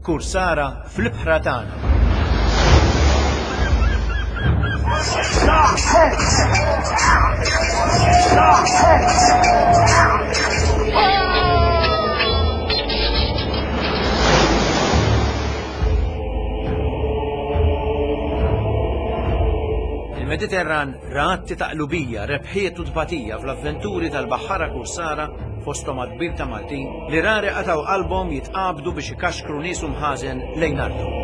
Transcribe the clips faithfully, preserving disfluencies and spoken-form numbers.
Kursara fl-ibħra tagħna. Il-Mediterran ra atti ta' qlubija, rebħiet u tbatija fl-avventuri tal-baħħara kursara fosthom għadd kbir ta' Maltin li rari qatgħu qalbhom jitqabdu biex ikaxkru nies u mħażen lejn arthom.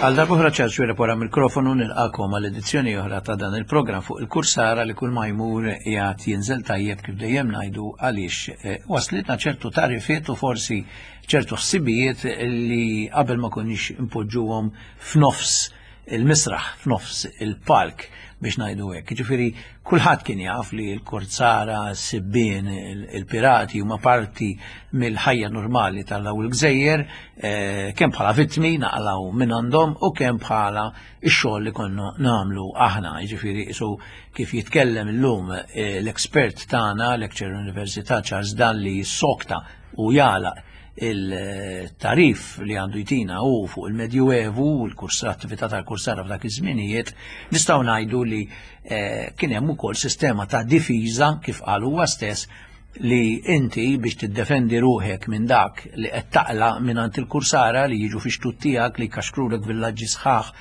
Għal darb'oħra Charles Xuereb wara mikrofonu nilqakom għal edizzjoni oħra ta' dan il-programm fuq il-Kursara li kull ma jmur qiegħed jinżel tajjeb kif dejjem ngħidu għaliex eh, waslitna ċertu tarifiet u forsi ċertu ħsibijiet li qabel ma konniex impoġġuhom f'nofs il-misraħ, f'nofs il-palk biex ngħidu hekk. Jiġifieri kulħadd kien jaf li l-korsara, s-sibbien, il-pirati huma parti mill-ħajja normali tal-daw il-gżejjer, eh, kemm bħala vittmi naqlaw minn għandhom u kemm bħala x-xogħol li konna nagħmlu aħna. Jiġifieri isu kif jitkellem illum eh, l-expert tagħna, lecturer Università Charles Dalli sokta u jagħlaq il-tarif li għandu jtina u fuq il-Medjuevu u l-kursa attività tal-kursara f'dak iż-żminijiet, nistgħu ngħidu li eh, kien hemm ukoll sistema ta' difiża kif qal huwa stess li inti biex tiddefendi ruħek minn dak li qed taqla minn għand il-kursara li jiġu fi xtut tiegħek li jkaxkrulek villaġġi sħaħ,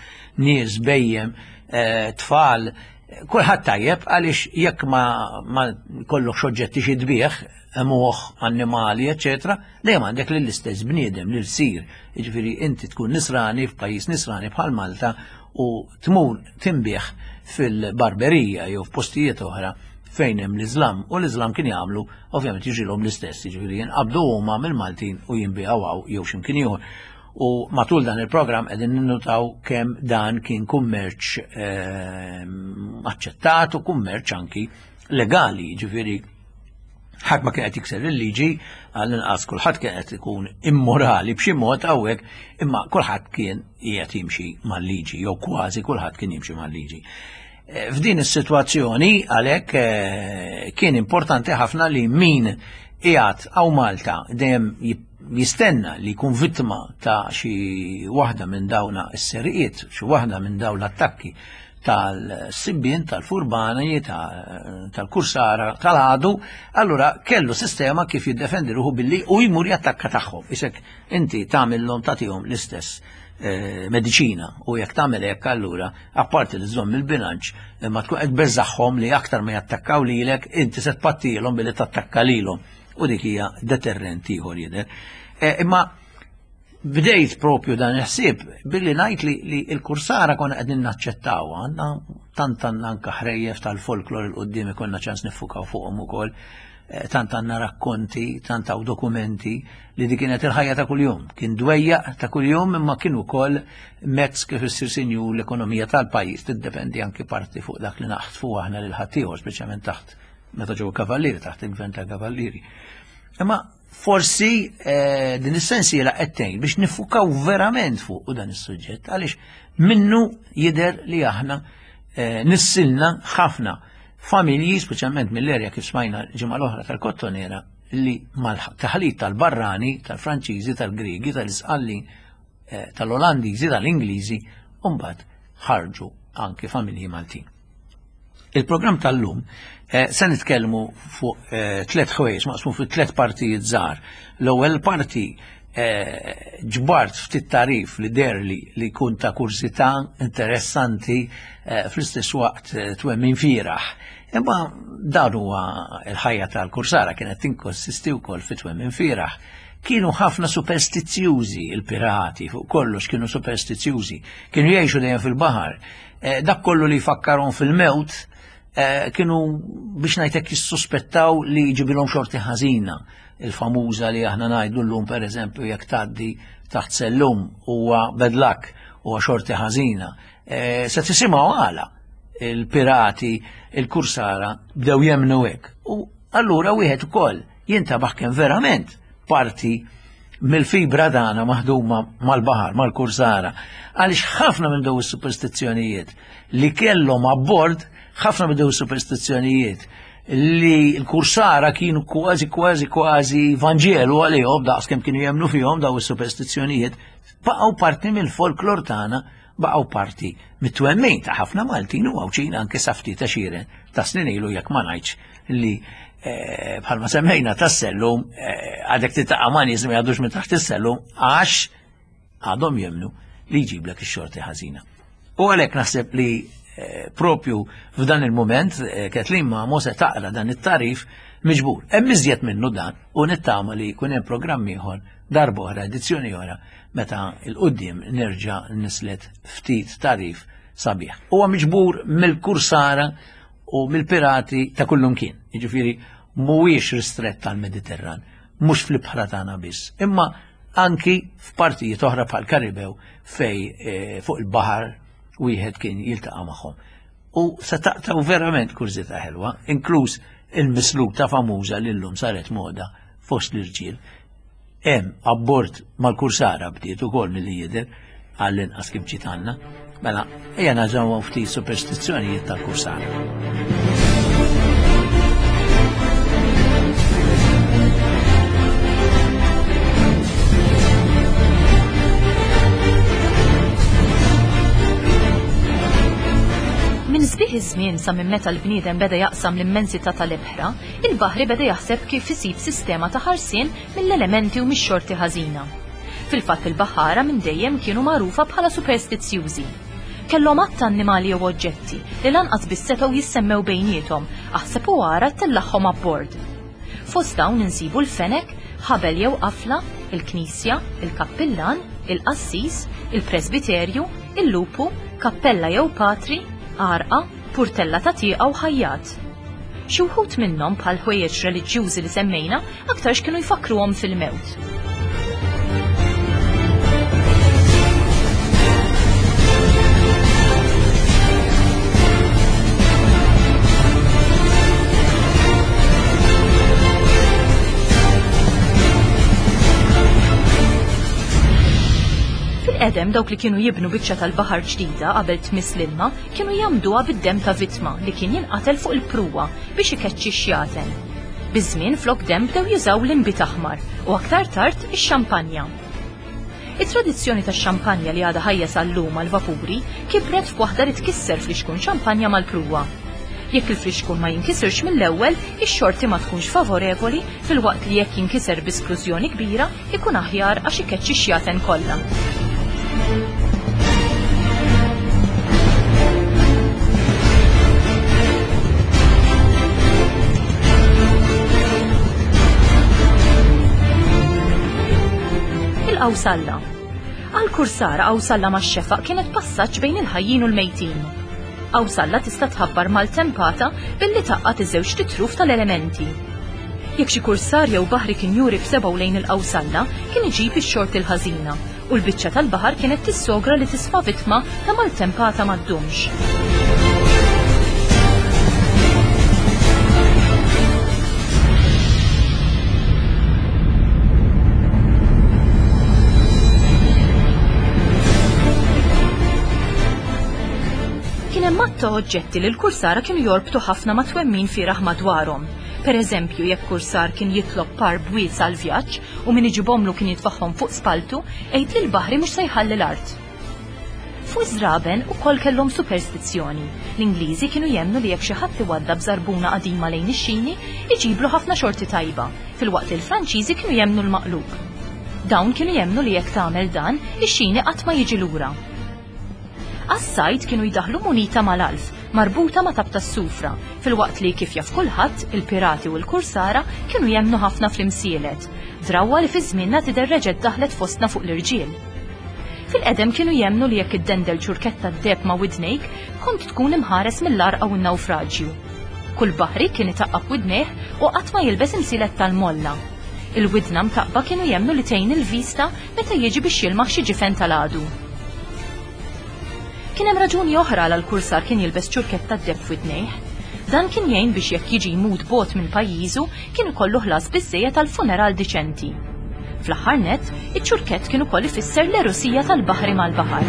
nies bejjem, eh, tfal, kulħadd tajjeb għaliex jekk ma, ma kollok oġġetti xi tbieħ, moħ, annimali, eccetera, dejjem għandek lill-istess bniedem li rsir. Jiġifieri inti tkun nisrani f'pajjiż nisrani bħal Malta u tmur tinbih fil-barberija jew f'postijiet oħra fejn hemm l-Iżlam u l-Iżlam kien jagħmlu ovvjament jiġrilhom l-istess, jiġifieri jinqabdu huma mill-Maltin u jinbiegħu hawn jew x'imkien ieħor. U matul dan il-programm qegħdin ninnutaw kemm dan kien kummerċ ehm, aċċettat u kummerċ anki legali, jiġifieri ħadd ma kien qed jikser il-liġi, għall-inqas kulħadd kien qed ikun immorali b'xi mod hawnhekk, imma kulħadd kien qiegħed jimxi mal-liġi jew kważi kulħadd kien jimxi mal-liġi. Eh, F'din is-sitwazzjoni għalhekk eh, kien importanti ħafna li min qiegħed hawn Malta dejjem jistenna li jkun vittma ta' xi waħda minn dawna s-seriqiet, xi waħda minn dawn l-attakki tal-sibbien, tal-furbani, tal-kursara, tal-għadu, allura kellu sistema kif jiddefendi ruħu billi u jmur jattakka tagħhom. Isek inti tagħmilhom tagħtihom l-istess eh, mediċina u jekk tagħmel hekk allura apparti li żomm il-bilanċ imma tkun qed beżaħħom li aktar ma jattakkaw lilek inti se tpattilhom billi tattakka lilhom u dik hija deterrent ieħor jidher. Eh, imma bdejt propju dan il-ħsieb billi ngħid li, li l-kursara konna qegħdin naċċettaw għandna tant għandna anke ħrejjef tal-folklor il qudiem ikollna ċans niffukaw fuqhom ukoll, eh, tant għandna rakkonti, tant hawn dokumenti li dik kienet il-ħajja ta' kuljum. Kien dwejjaq ta' kuljum imma kien ukoll mezz kif issir sinjur l-ekonomija tal-pajjiż tiddependi anki parti fuq dak li naħtfu aħna lil ħaddieħor, speċjalment taħt meta ġew kavallieri, taħt il-gvern tal-kavallieri. Imma forsi eh, din is-sensiela qed tgħin biex nifukaw verament fuq dan is-suġġett għaliex minnu jidher li aħna eh, nissilna ħafna familji, speċjalment mill-erja kif smajna ġimgħa l-oħra tal-Kottonera, li mal-taħlit tal-barrani, tal-Franċiżi, tal-Griegi, tal-Isqallin, eh, tal-Olandiżi, tal-Ingliżi, u mbagħad ħarġu anki familji Maltin. Il-programm tal-lum eh, se nitkellmu fuq eh, tliet ħwejjeġ maqsum fi tliet partijiet żgħar. L-ewwel parti eh, ġbart ftit tarif li derli li jkun ta' kurżità interessanti eh, fl-istess waqt eh, twemmin fieraħ. Imma dan huwa l-ħajja tal-kursara kienet tinkonsisti wkoll fi twemmin fieraħ. Kienu ħafna superstizzjużi il-pirati, fuq kollox kienu superstizzjużi, kienu jgħixu dejjem fil-baħar. Eh, dak kollu li jfakkarhom fil-mewt, eh, kienu biex ngħidlek jissuspettaw li jġibilhom xorti ħażina. Il-famuża li aħna ngħidu llum pereżempju jekk tgħaddi taħt sellum huwa bad luck, huwa xorti ħażina. Eh, se tisimgħu għala il-pirati, il-kursara bdew jemnu hekk. U allura wieħed ukoll jintabaħ kemm verament parti mill-fibra tagħna maħduma mal-baħar, mal-kursara, għaliex ħafna minn dawn is-superstizzjonijiet li kellhom abbord, ħafna minn dawn is-superstizzjonijiet li l-kursara kienu kważi kważi kważi Vanġelu għalihom daqs kemm kienu jemmnu fihom dawn is-superstizzjonijiet, baqgħu parti mill-folklor tagħna, baqgħu parti mit-twemmin ta' ħafna Maltin u Għawdxin anke sa ftit għexieren ta' snin ilu, jekk ma ngħidx li bħalma semmejna tas-sellum għadek titaqa' ma' nies li ma jgħaddux minn taħt is-sellum għax għadhom jemmnu li jġiblek ix-xorti ħażina. U għalhekk naħseb li propju f'dan il-moment Kathleen Mamo se taqra dan it-tarif miġbur. Hemm iżjed minnu dan u nittama li jkun hemm programm ieħor darba oħra, edizzjoni oħra, meta l-qudiem nerġa' nislet ftit tarif sabiħ. Huwa miġbur mill-kursara u mill-pirati ta' kullumkien. Jiġifieri mhuwiex ristrett tal-Mediterran, mhux fl-ibħra tagħna biss, imma anki f'partijiet oħra bħal Karibew fej fuq il-baħar wieħed kien jiltaqa' magħhom. U se taqtaw verament kurżità ħelwa, inkluż il-misluta famuża li llum saret moda fost l-irġiel. Hemm abbord mal-kursara bdiet ukoll milli jidher għall-inqas kif ġiet għandna. Mela, ejja naġgħu ftit superstizzjonijiet tal-kursara. Minn sbieħ iż-żmien sa minn meta l-bniedem beda jaqsam l-immensità tal-ibħra, il-baħri beda jaħseb kif isib sistema ta' ħarsien mill-elementi u mix-xorti ħażina. Fil-fatt il-baħara minn dejjem kienu magħrufa bħala superstizzjużi. Kellhom għadd ta' annimali jew oġġetti li lanqas biss setgħu jissemmew bejniethom, aħseb u ara tellagħhom abbord. Fost dawn insibu l-fenek, ħabel jew qafla, il-knisja, il-kappillan, il-qassis, il-presbiterju, il-lupu, kappella jew patri, għarqa, purtella ta' tieqa u ħajjat. Xi wħud minnhom bħal ħwejjeġ reliġjużi li semmejna aktarx kienu jfakruhom fil-mewt. Fil-qedem dawk li kienu jibnu biċċa tal-baħar ġdida qabel tmiss l-ilma kienu jagħmduha bid-demm ta' vittma li kien jinqatel fuq il-pruwa biex ikeċċi x-xjaten. Biż-żmien flok demm bdew jużaw l-inbid aħmar u aktar tard ix-xampanja. It-tradizzjoni tax-xampanja li għadha ħajja sal-lum għall-vapuri kibret f'waħda li tkisser flixkun xampanja mal-pruwa. Jekk il-flixkun ma jinkisirx mill-ewwel, ix-xorti ma tkunx favorevoli filwaqt li jekk jinkiser bi splużjoni kbira ikun aħjar għax ikeċċi x-xjaten kollha. Il-qawsalla. Għal-kursara qawsalla max-xefaq kienet passaġġ bejn il-ħajjin u l-mejtin. Qawsalla tista' tħabbar mal-tempata billi taqqat iż-żewġ titruf tal-elementi. Jekk xi kursar jew baħri kien juri b'sebgħu lejn il-qawsalla, kien iġib ix-xorti l-ħażina u l-biċċa tal-baħar kienet tissogra li tisfa' vittma ta' maltempata ma ddumx. Kien hemm għadd ta' oġġetti li l-kursara kienu jorbtu ħafna ma' twemmin fieragħ madwarhom. Per eżempju, jekk kursar kien jitlob par bwiet għal vjaġġ u min iġibhomlu kien jitfaħħom fuq spaltu, għid li l-baħri mhux se jħalli l-art. Fuq iż-żraben ukoll kellhom superstizzjoni. L-Ingliżi kienu jemmnu li jekk xi ħadd iwaddab żarbuna qadima lejn ix-xini, iġiblu ħafna xorti tajba, filwaqt li l-Franċiżi kienu jemmnu l-maqlub. Dawn kienu jemmnu li jekk tagħmel dan, ix-xini qatt ma jiġi lura. Għas-sajd kienu jdaħlu munita mal-alf, marbuta ma' tab tas-sufra, filwaqt li kif jaf kulħadd, il-pirati u l-kursara kienu jemmnu ħafna fl-imsielet, drawwa li fi żmienna tidher reġgħet daħlet fostna fuq l-irġiel. Fil-qedem kienu jemmnu li jekk iddendel ċurketta d-deheb ma' widnejk, kont tkun imħares mill-għarqa u n-nawfraġju. Kull baħri kien itaqqab widnejh u qatt ma jilbes imsielet tal-molla. Il-widna mtaqba kienu jemmnu li tgħin il-vista meta jiġi biex jilmaħ xi ġifen tal-għadu. Kien hemm raġuni oħra għal kursar kien jilbes ċurketta d-deheb f'widnejh. Dan kien jgħin biex jekk jiġi jmut bogħod minn pajjiżu kien ikollu ħlas biżżejjed għal funeral diċenti. Fl-aħħar nett, iċ-ċurkett kien ukoll ifisser l-erosija tal-baħri mal-baħar.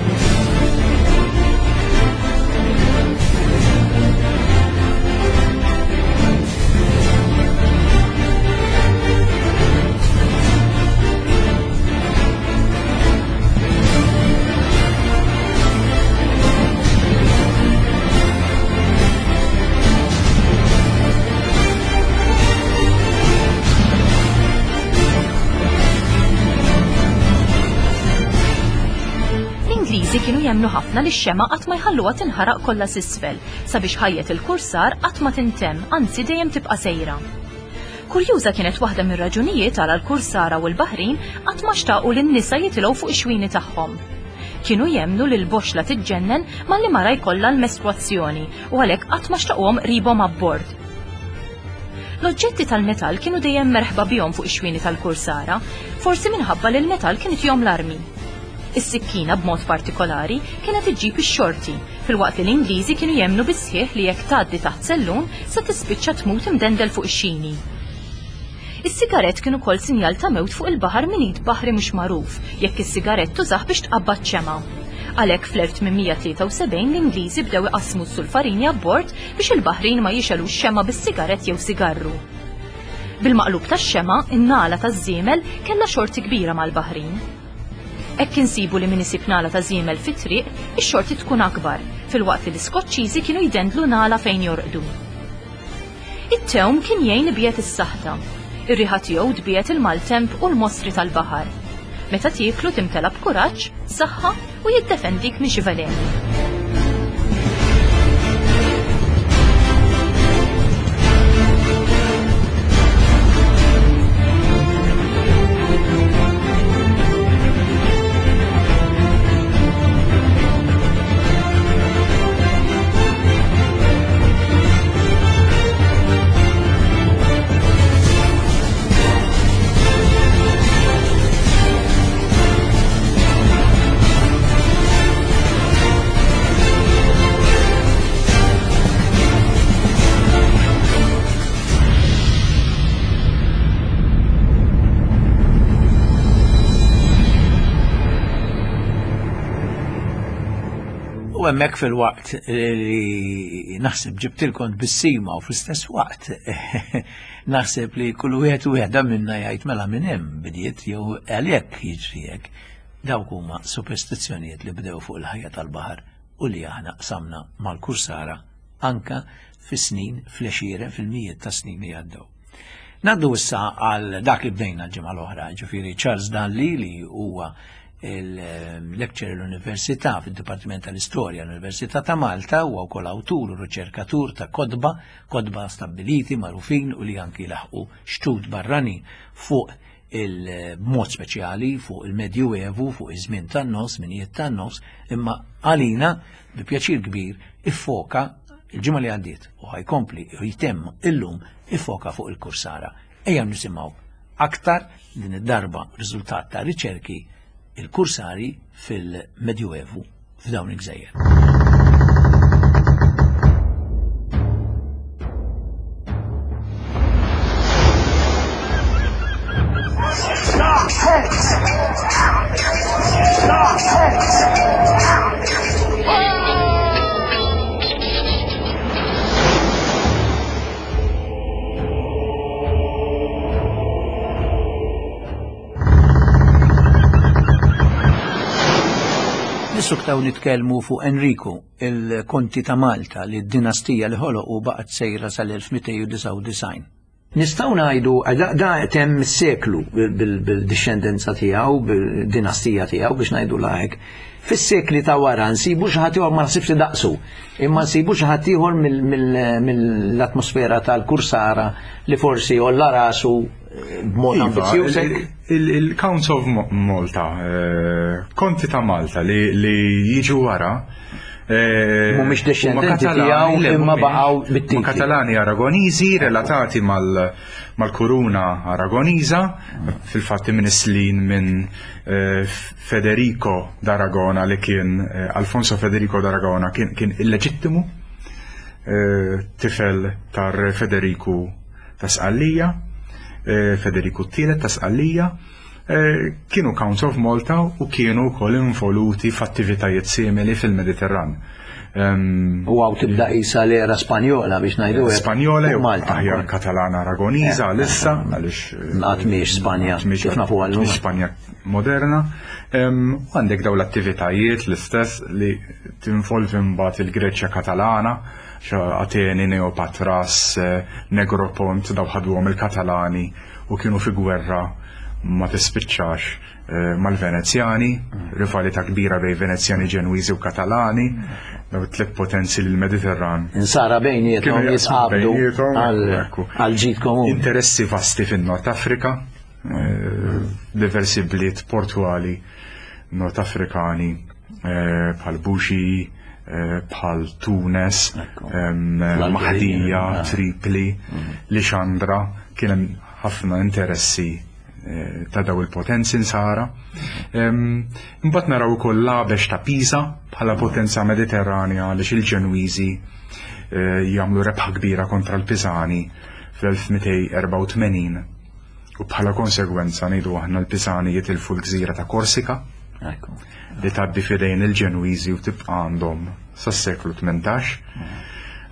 L-Ingliżi kienu jemmnu ħafna li x-xema qatt ma jħalluha tinħaraq kollha s'isfel sabiex ħajjet il-kursar qatt ma tintemm, anzi dejjem tibqa' sejra. Kurjuża kienet waħda mir-raġunijiet għala l-kursara u l-baħrin qatt ma xtaqu li n-nisa jitilgħu fuq ix-xwini tagħhom. Kienu jemmnu li l-boxla tiġġennen malli mara jkollha l-mestruazzjoni u għalhekk qatt ma xtaquhom qribhom abbord. L-oġġetti tal-metall kienu dejjem merħba bihom fuq ix-xwini tal-kursara, forsi minħabba li l-metall kien itihom l-armi. Is-sikkina b'mod partikolari kienet iġġib ix-xorti, filwaqt li l-Ingliżi kienu jemmnu bis-sħiħ li jekk tgħaddi taħt sellun se tispiċċa tmut imdendel fuq ix-xini. Is-sigarett kien ukoll sinjal ta' mewt fuq il-baħar minn id baħri mhux magħruf jekk is-sigarett tużah biex tqabbad xemgħa. Għalhekk fl-elf tmien mija tlieta u sebgħin l-Ingliżi bdew iqassmu s-sulfarini abbord biex il-baħrin ma jixelux xemgħa bis-sigarett jew sigarru. Bil-maqlub tax-xemgħa, in-nagħla taż-żiemel kellha xorti kbira mal-baħrin. Hekk insibu li min isib nagħla ta' żiemel fit-triq, ix-xorti tkun akbar, filwaqt li l-Iskoċċiżi kienu jdendlu nagħla fejn jorqdu. It-tewm kien jgħin ibiet is-saħta. Ir-riħa tiegħu tbiet il-maltemp u l-mostri tal-baħar. Meta tieklu timtela b'kuraġġ, saħħa u jiddefendik minn xi veleni. U hemmhekk fil-waqt li naħseb ġibtilkom tbissima u fl-istess waqt naħseb li kull wieħed u wieħda minna jgħid mela minn hemm bdiet jew għalhekk jiġri hekk. Dawk huma superstizzjonijiet li bdew fuq il-ħajja tal-baħar u li aħna qsamna mal-kursara anka fis-snin, fl-għexieren, fil-mijiet ta' snin li għaddew. Naddu issa għal dak li bdejna l-ġimgħa l-oħra, ġifieri Charles Dalli li huwa il-lecturer l-Università fid-Dipartiment tal-Istorja l-Università ta' Malta, huwa wkoll awtur u riċerkatur ta' kotba, kotba stabbiliti, magħrufin u li anki laħqu xtut barrani fuq il-mod speċjali fuq il-Medjuevu, fuq iż-żmien tan-nofs, żminijiet tan-nofs, imma għalina bi pjaċir kbir iffoka il-ġimgħa li għaddiet u ħajkompli u jtemm illum iffoka fuq il-kursara. Ejja nisimgħu aktar din id-darba riżultat ta' riċerki il-kursari fil-Medjuevu f'dawn il-gżejjer. Nissuktaw nitkellmu fuq Enriku, il-konti ta' Malta, li d-dinastija li ħoloq u baqgħet sejra sal-elf mitejn u disgħa u disgħin. Nistgħu ngħidu da, da temm is-seklu bil-dixxendenza tiegħu, bil-dinastija tiegħu biex ngħidu hekk. Fis-sekli ta' wara nsibu xi ħadd ieħor ma naħsibx li daqsu, imma nsibu xi ħadd ieħor mill-atmosfera tal-kursara li forsi olla rasu b'mod Iva, ambizzjuż. il-, il-Counts of Mo-, Malta, eh, konti ta' Malta li, li jiġu wara, eh, Mhumiex huma dixxendenti Katalani, tiegħu le, imma mhumiex. baqgħu bit-titli. Huma Katalani Aragoniżi relatati mal-, mal-kuruna Aragoniża, fil-fatt imnislin minn, eh, Federico d'Aragona li kien, eh, Alfonso Federico d'Aragona kien, kien illeġittimu, eh, tifel tar Federiku ta' Sqallija, eh, Federiku t-tielet ta' Sqallija, Eh, kienu Counts of Malta u kienu wkoll involuti f'attivitajiet simili fil-Mediterran. U hawn tibda isa l-era Spanjola biex ngħidu. Spanjola jew Malta. Aħjar Katalana Aragoniża eh, issa għaliex qatt mhix Spanja, kif nafu għallum. Spanja moderna. U għandek daw l-attivitajiet l-istess li tinvolvi mbagħad il-Greċja Katalana, Ateni, Neopatras, eh, Negropont, daw ħaduhom il-Katalani u kienu fi gwerra ma tispiċċax eh, mal-Venezjani, rivalità kbira bejn Venezjani, Ġenwiżi u Katalani, daw tliet potenzi l-Mediterran. Insara bejniethom jitqabdu għal ġid komuni. Interessi vasti fin-Nord Afrika, eh, diversi bliet portuali Nord Afrikani eh, bħal Buxi, bħal Tunes, Mahdija, Tripli, Lixandra, kien hemm ħafna interessi ta' daw il-potenzi nsara. Imbagħad naraw ukoll l-għabex ta' Pisa bħala potenza Mediterranja għaliex il-Ġenwiżi eh, jagħmlu rebħa kbira kontra l-Pisani fl-elf mitejn erbgħa u tmenin u bħala konsegwenza ngħidu aħna l-Pisani jitilfu l-gżira ta' Korsika li tgħaddi f'idejn il-Ġenwiżi u tibqa' għandhom sas-seklu tmintax.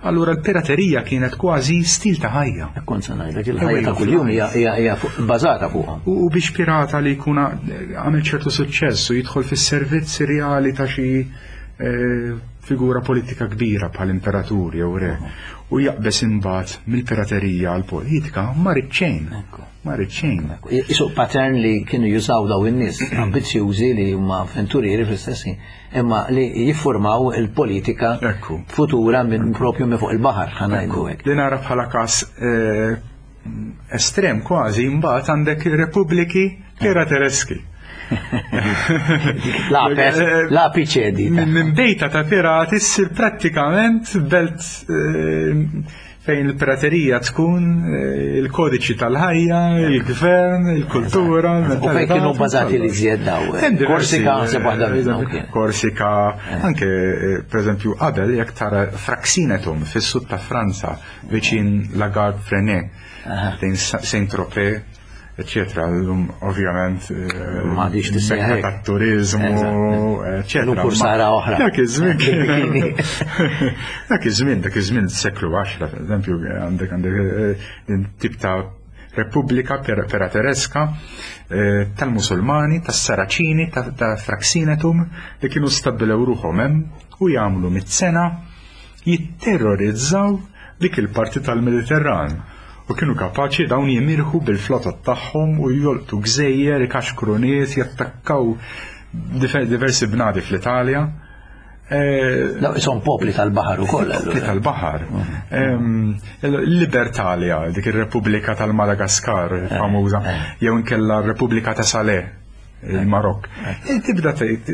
Allura l-piraterija kienet kważi stil ta' ħajja. Kont se ngħidlek il-ħajja ta' kuljum hija hija bbażata fuqha. U biex pirata li jkun għamel ċertu suċċess u jidħol fis-servizz reali ta' xi eh, figura politika kbira bħal imperatur jew re u jaqbes imbagħad mill-piraterija għal politika ma rid xejn. Ma rid xejn. Isu pattern li kienu jużaw daw in-nies ambizzjużi li huma avventurieri fl-istess ħin, imma li jiffurmaw il-politika futura minn propju minn fuq il-baħar, ħa ngħidu hekk. Li nara bħala każ eh, estrem kważi imbagħad għandek repubbliki piratereski. La piċedi. Minn bejta ta' pirati ssir prattikament belt eh, fejn il-piraterija tkun eh, il-kodiċi tal-ħajja, il-gvern, il-kultura. U fejn kienu bbażati li żjed daw? Korsika naħseb waħda minnhom kien. Korsika, anke per eżempju qabel jekk tara Fraxinetum fis-sud ta' Franza viċin La Garde-Freinet, Saint-Tropez, eccetera. L-lum ovvjament ma diċ tissejjaħ tat-turizmu, eccetera. L-lum kursara oħra. Dak iż-żmien. Dak iż-żmien, dak iż-żmien seklu għaxra, per eżempju, għandek għandek tip ta' Repubblika Piratereska tal-Musulmani, tas-Saraċini, ta' Fraxinetum li kienu stabbilew ruħhom hemm u jagħmlu mit-sena jitterrorizzaw dik il-parti tal-Mediterran. U kienu kapaċi dawn jimirħu bil-flotta tagħhom u jolqtu gżejjer, ikaxkru nies, jattakkaw diversi bnadi fl-Italja. No, son popli tal-baħar ukoll. Popli tal-baħar. Libertalia, dik ir-Repubblika tal-Madagaskar famuża, jew inkella r-Repubblika ta' Saleh, il-Marokk. Tibda tgħid,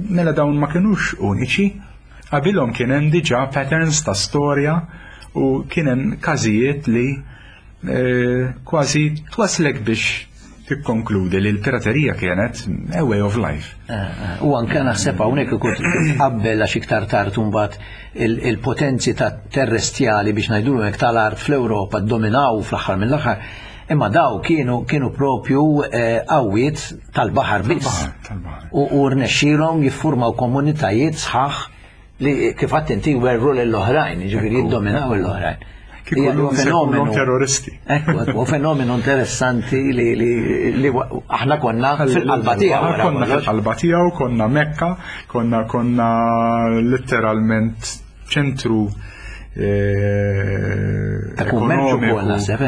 mela dawn ma kinux uniċi, qabilhom kien hemm diġà patterns ta' storja u kien hemm każijiet li kważi twaslek biex tikkonkludi li l-piraterija kienet a way of life. U anke naħseb hawnhekk ikun tqabbel għax iktar tard imbagħad il-potenzi ta' terrestjali biex ngħidulu hekk tal-art fl-Ewropa ddominaw fl-aħħar mill-aħħar, imma daw kienu kienu propju qawwiet tal-baħar biss. U rnexxielhom jiffurmaw komunitajiet sħaħ li kif għadt inti werru lill-oħrajn, jiġifieri jiddominaw l-oħrajn. Kieku fenomenu terroristi. Ekku, ekku, fenomenu interessanti li li aħna konna fil-qalba tiegħu. Konna fil-qalba tiegħu, konna Mekka, konna konna letteralment ċentru ta' kummerċu wkoll naħseb,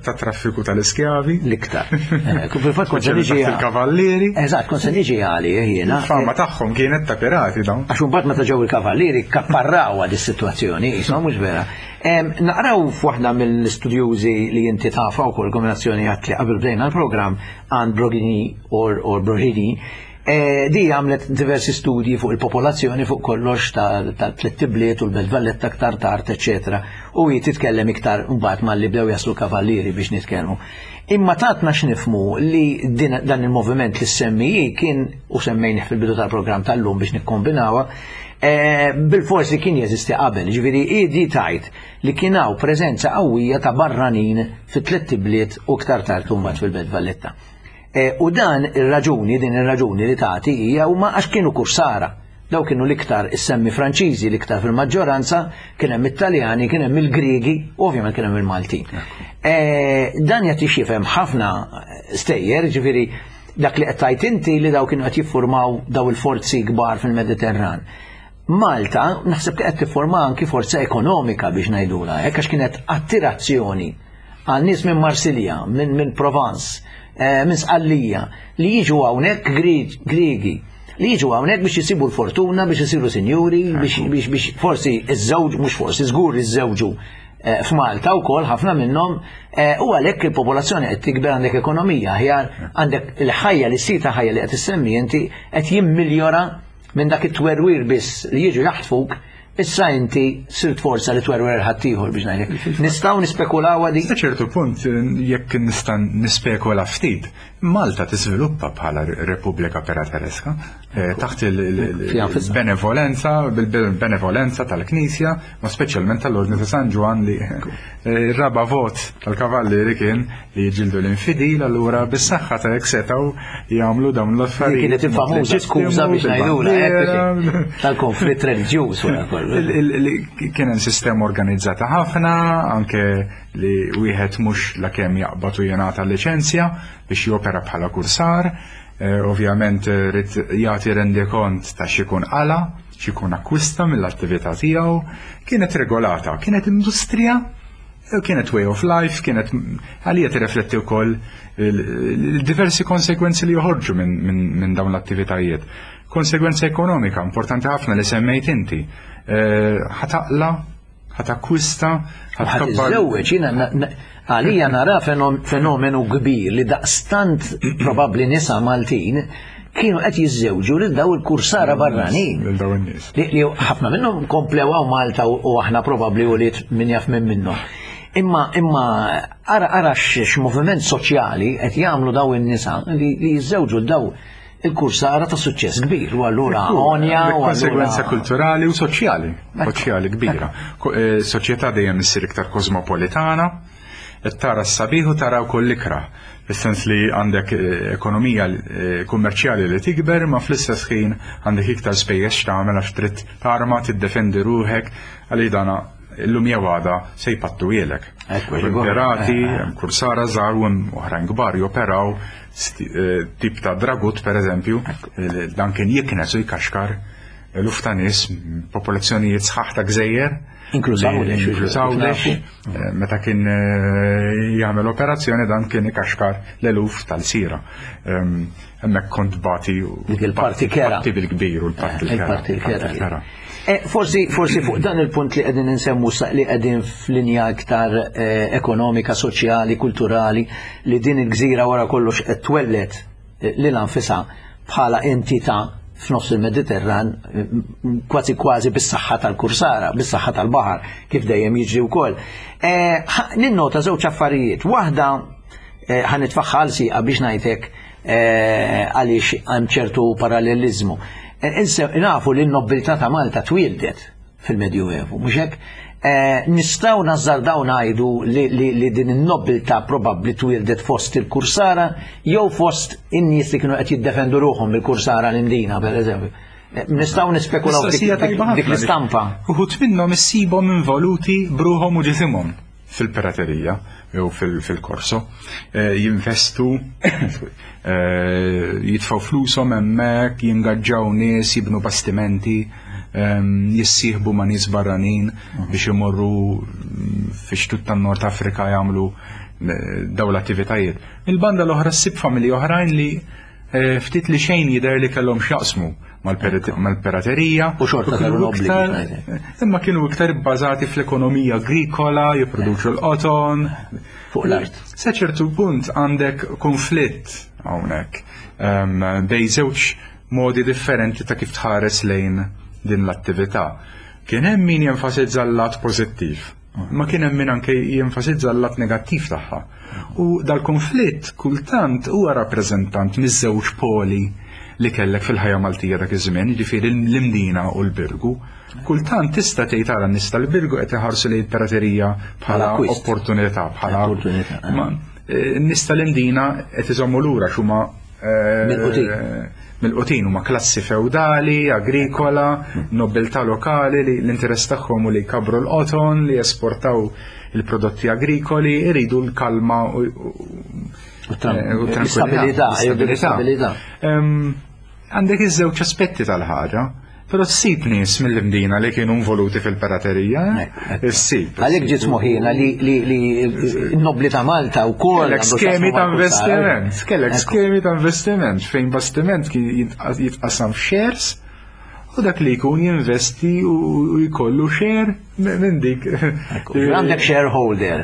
ta' traffiku tal-iskjavi. L-iktar. Fil-fatt kont se niġi il-kavallieri. Eżatt, kont se niġi għali jiena. Il-fama tagħhom kienet ta' pirati dawn. Għax imbagħad meta ġew il-kavallieri kapparraw għad is-sitwazzjoni, qishom mhux vera. Naqraw f'waħda mill-istudjużi li inti tafa wkoll kombinazzjoni għat li qabel bdejna l-programm Anne Brogini or Brogini. Di għamlet diversi studji fuq il-popolazzjoni fuq kollox ta' tliet ibliet u l-Belt Valletta aktar tard, eċetera. U hi titkellem iktar mbagħad malli bdew jaslu kavallieri biex nitkellmu. Imma tatna x'nifhmu li dan il-moviment li semmi hi kien, u semmejnih fil-bidu tal-programm tal-lum biex nikkombinawha, bil-forsi kien jeżisti qabel, ġifieri hi di tajt li kien hawn preżenza qawwija ta' barranin fit-tliet ibliet u iktar tard imbagħad fil-Belt Valletta. Eh, u dan ir-raġuni, din ir-raġuni li tagħti hija huma għax kienu kursara. Daw kienu l-iktar issemmi Franċiżi, l-iktar fil-maġġoranza, kien hemm Italjani, kien hemm il-Griegi, u ovvjament kien hemm il-Maltin. Eh, dan jagħti x'jifhem ħafna stejjer, ġifieri dak li qed tgħid inti li daw kienu qed jiffurmaw daw il-forzi kbar fil-Mediterran. Malta naħseb li qed tifforma anki forza ekonomika biex ngħidula, hekk għax kienet attirazzjoni għal nies minn Marsilja, minn min Provence, eh, minn Sqallija, li jiġu hawnhekk Griegi, li jiġu hawnhekk biex jisibu l-fortuna, biex isiru sinjuri, biex, biex, biex forsi iż-żewġ, mhux forsi, żgur iż-żewġu eh, f'Malta wkoll ħafna minnhom eh, u għalhekk il-popolazzjoni qed tikber għandek ekonomija aħjar, għandek il-ħajja li sita ħajja li qed issemmi inti qed jimmiljora minn dak it-twerwir biss li jiġu jaħtfuk, issa inti sirt forza li twerwer ħaddieħor biex ngħidlek. Nistgħu nispekulaw di? Sa ċertu punt, jekk nista' nispekula ftit, Malta tiżviluppa bħala Repubblika Piratereska, eh, taħt il-benevolenza, bil-benevolenza tal-Knisja, ma speċjalment tal-Ordni ta' San Ġwann li eh, raba vot tal-kavallieri kien li jġildu l-infidil, allura bis-saħħa ta' hekk setgħu jagħmlu dawn l-affarijiet. Kienet il-famuża skuża biex ngħidula tal-konflitt reliġjuż wara kollu. Kien hemm sistema organizzata ħafna, anke li wieħed mhux lakemm jaqbad u jingħata liċenzja biex jopera bħala kursar, eh, ovvjament rid jagħti rendikont ta' x'ikun qala, x'ikun akkwista mill-attività tiegħu, kienet regolata, kienet industrija, kienet way of life, kienet għalija tirrifletti wkoll il-diversi konsekwenzi li joħorġu minn min, min dawn l-attivitajiet. Konsegwenza ekonomika importanti ħafna li semmejt inti. Eh, ħa taqla', ħa takkwista, ħa tiżżewweġ, jiena għalija nara fenomenu kbir li daqstant probabbli nisa Maltin kienu qed jiżżewġu lil daw il-kursara barranin. Lil daw in-nies. Li ħafna minnhom komplew Malta u aħna probabbli u li min jaf minn minnhom. Imma imma ara ara x'moviment soċjali qed jagħmlu daw in-nisa li jiżżewġu daw il-kursara ta' suċċess kbir u allura onja u konsegwenza kulturali u soċjali, soċjali kbira. Eh, soċjetà dejjem issir iktar kosmopolitana, tara s-sabiħ u tara wkoll l-ikrah. Fis-sens li għandek eh, ekonomija eh, kummerċjali li tikber, ma fl-istess ħin għandek iktar spejjeż x'tagħmel għax trid tarma tiddefendi ruħek għaliex dana illum jew għada se jpattuhielek. Pirati, kursara żgħar u oħrajn kbar joperaw eh, tip ta' dragut per eżempju, dan kien jiknes u jkaxkar eluf ta' nies, popolazzjonijiet sħaħ ta' gżejjer. Inkluż Għawdex. Inkluż Għawdex. Eh, meta kien eh, jagħmel operazzjoni dan kien ikaxkar l-eluf tal-sira. Hemmhekk kont bati Dik il-parti kera. Parti bil-kbir u l-parti l-kera. Il-parti l-kera. Forsi, forsi fuq dan il-punt li qegħdin insemmu li qegħdin f'linja iktar ekonomika, soċjali, kulturali, li din il-gżira wara kollox qed twellet lil nfisha bħala entità f'nofs il-Mediterran kważi kważi bis-saħħa tal-kursara, bis-saħħa tal-baħar, kif dejjem jiġri wkoll. Ninnota żewġ affarijiet. Waħda ħa nitfagħha għal sieqa biex ngħidlek għaliex hemm ċertu parallelizmu. Nafu li n-nobiltà ta' Malta twildet fil-Medjuevu, mhux hekk? Nistgħu nażżardaw ngħidu li din in-nobiltà probabbli twildet fost il-kursara jew fost in-nies li kienu qed jiddefendu ruħhom mill-kursara l-Indina, per eżempju. Nistgħu nispekulaw dik l-istampa. Uħud minnhom issibhom involuti b'ruħhom u ġisimhom fil-piraterija jew fil-korso, jinvestu, jitfgħu flushom hemmhekk, jingaġġaw nies, jibnu bastimenti, jissieħbu ma' nies barranin biex imorru fi xtut tan-Nord Afrika jagħmlu daw l-attivitajiet. Il-banda l-oħra ssib familji oħrajn li ftit li xejn jidher li kellhom x'jaqsmu mal-piraterija. U xorta kienu nobli. Imma kienu iktar bbażati fl-ekonomija agrikola, jipproduċu l-qoton. Fuq l-art. Sa ċertu punt għandek konflitt hawnhekk bejn żewġ modi differenti ta' kif tħares lejn din l-attività. Kien hemm min jenfasizza l-lat pożittiv, ma kien hemm min anke jenfasizza l-lat negattiv tagħha. U dal-konflitt kultant huwa rappreżentant miż-żewġ poli li kellek fil-ħajja Maltija dak iż-żmien, jiġifieri l-Imdina u l-Birgu. Kultant tista' tgħid ara n-nies tal-Birgu qed iħarsu lejn piraterija bħala opportunità, bħala n-nies tal-Imdina qed iżommu lura x'huma mill-qutin, huma klassi feudali, agrikola, nobiltà lokali li l-interess tagħhom hu li jkabbru l-qoton, li jesportaw il-prodotti agrikoli, iridu l-kalma u l-istabilità. Għandek iż-żewġ aspetti tal-ħaġa. Però ssib nies mill-Imdina li kienu involuti fil-piraterija, issib. Għalhekk ġiet moħħina li n-nobli ta' Malta wkoll. Kellek skemi ta' investiment, kellek skemi ta' investiment fejn bastiment kien jitqassam f'shares u dak li jkun jinvesti u jkollu share minn dik. Għandek shareholder,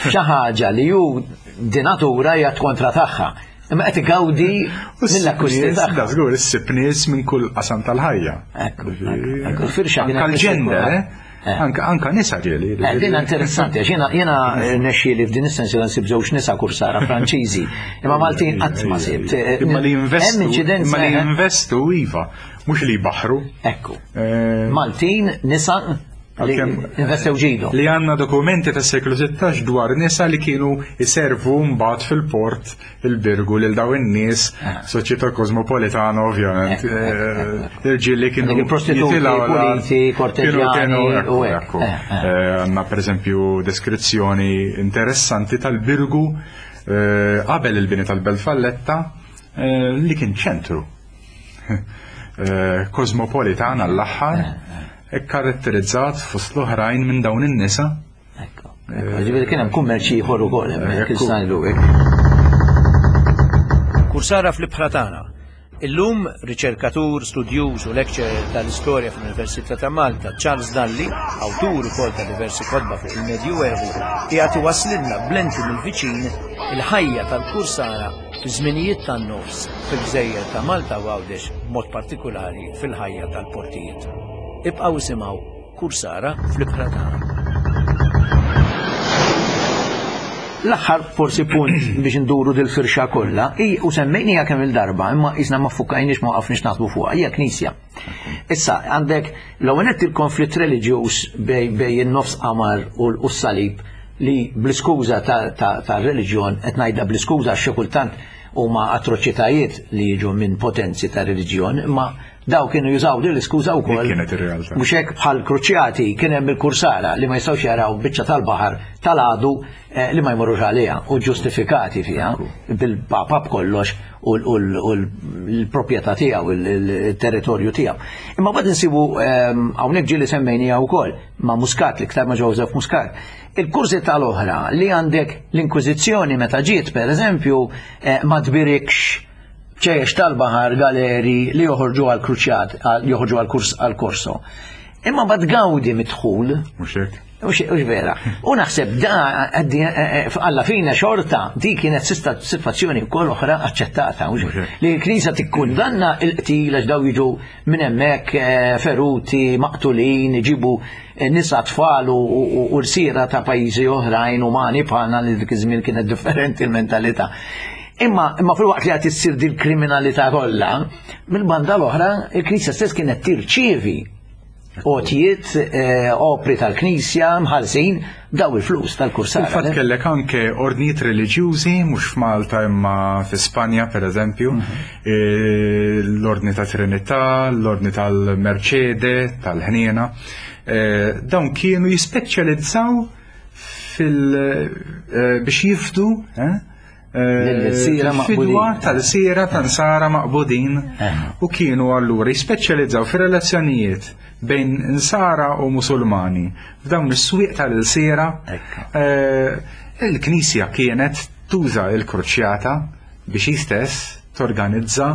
xi ħaġa li hu di natura hija kontra tagħha. Imma qed igawdi mill-akkwisti tagħha. Da żgur issib nies minn kull qasam tal-ħajja. Ekku, ekku, firxa kienet. Anka l-ġender, eh? Anka anka nisa ġieli. Din interessanti għax jiena jiena nexxieli f'din is-sens li nsib żewġ nisa kursara Franċiżi. Imma Maltin qatt ma sibt. Imma li jinvestu, imma li jinvestu iva, mhux li jbaħħru. Ekku. Maltin nisa li investew ġidu. Li għandna dokumenti tas seklu sittax dwar nisa li kienu jiservu mbagħad fil-port il-Birgu lil daw in-nies, soċjetà kosmopolitana ovvjament. Irġiel li kienu il-prostituti, puliti, korteġjani u hekk. Għandna pereżempju deskrizzjoni interessanti tal-Birgu qabel il-bini tal-Belt Valletta li kien ċentru kosmopolitan għall-aħħar, ikkaratterizzat fost l-oħrajn minn dawn in-nisa. Ekku. Ġifieri kien hemm kummerċ ieħor ukoll hemmhekk il-sajlu hekk. Kursara fl-ibħra tagħna. Illum riċerkatur, studjuż u lecturer tal-istorja fl-Università ta' Malta, Charles Dalli, awtur ukoll ta' diversi kotba fuq il-Medjuevu, qiegħed iwasslilna b'lenti mill-viċin il-ħajja tal-kursara fi żminijiet tan-nofs fil-gżejjer ta' Malta u Għawdex, b'mod partikulari fil-ħajja tal-portijiet. Ibqgħu isimgħu Kursara fl-ibħra tagħna. L-aħħar forsi punt biex nduru dil-firxa kollha, u semmejniha kemm il-darba, imma qisna ma ffukajniex ma waqafniex naħsbu fuqha, hija knisja. Issa għandek l-ewwel nett il-konflitt reliġjuż bej in-nofs qamar u s-salib li bl-iskuża tar-reliġjon, qed ngħidha bl-iskuża għax xi kultant huma atroċitajiet li jiġu minn potenzi ta' reliġjon, imma daw kienu jużaw din l-iskuża wkoll. Kienet ir-realtà. Mhux hekk bħal kruċjati kien hemm il-kursara li ma jistgħux jaraw biċċa tal-baħar tal-għadu li ma jmorrux għaliha u ġustifikati fiha bil-papa b'kollox u l-proprjetà tiegħu, il-territorju tiegħu. Imma bad insibu hawnhekk ġieli semmejniha wkoll ma' Muscat, l-iktar ma' Joseph Muscat. Il-kursi tal-oħra li għandek l-Inkwiżizzjoni meta ġiet pereżempju ma tbirikx ċejjex tal-baħar galeri li joħorġu għal-kruċjat, joħorġu għal-kurs għal-korso. Imma bad gawdi midħul. Mhux hekk. Mhux vera. U naħseb da alla fina xorta di kienet sitwazzjoni wkoll oħra aċċettata. Li l-Knisja tikkundanna l-qtil għax daw jiġu minn hemmhekk feruti, maqtulin, iġibu nisa tfal u rsiera ta' pajjiżi oħrajn umani bħalna li dik iż-żmien kienet differenti l-mentalità. Imma imma fil-waqt li qed issir din kriminalità kollha, mill-banda l-oħra il-Knisja stess kienet tirċievi għotjiet opri tal-Knisja mħallsin daw il-flus tal-kursara. Fil-fatt kellek anke ordnijiet reliġjużi mhux f'Malta imma fi Spanja pereżempju, l-Ordni ta' Trinità, l-Ordni tal-Merċede, tal-Ħniena, dawn kienu jispeċjalizzaw fil biex jifdu fidwa tal-sira tan-sara maqbudin u kienu allura jispeċjalizzaw fir-relazzjonijiet bejn insara u musulmani f'dawn is-swieq tal-sira. Il-Knisja kienet tuża l-kruċjata biex hi stess torganizza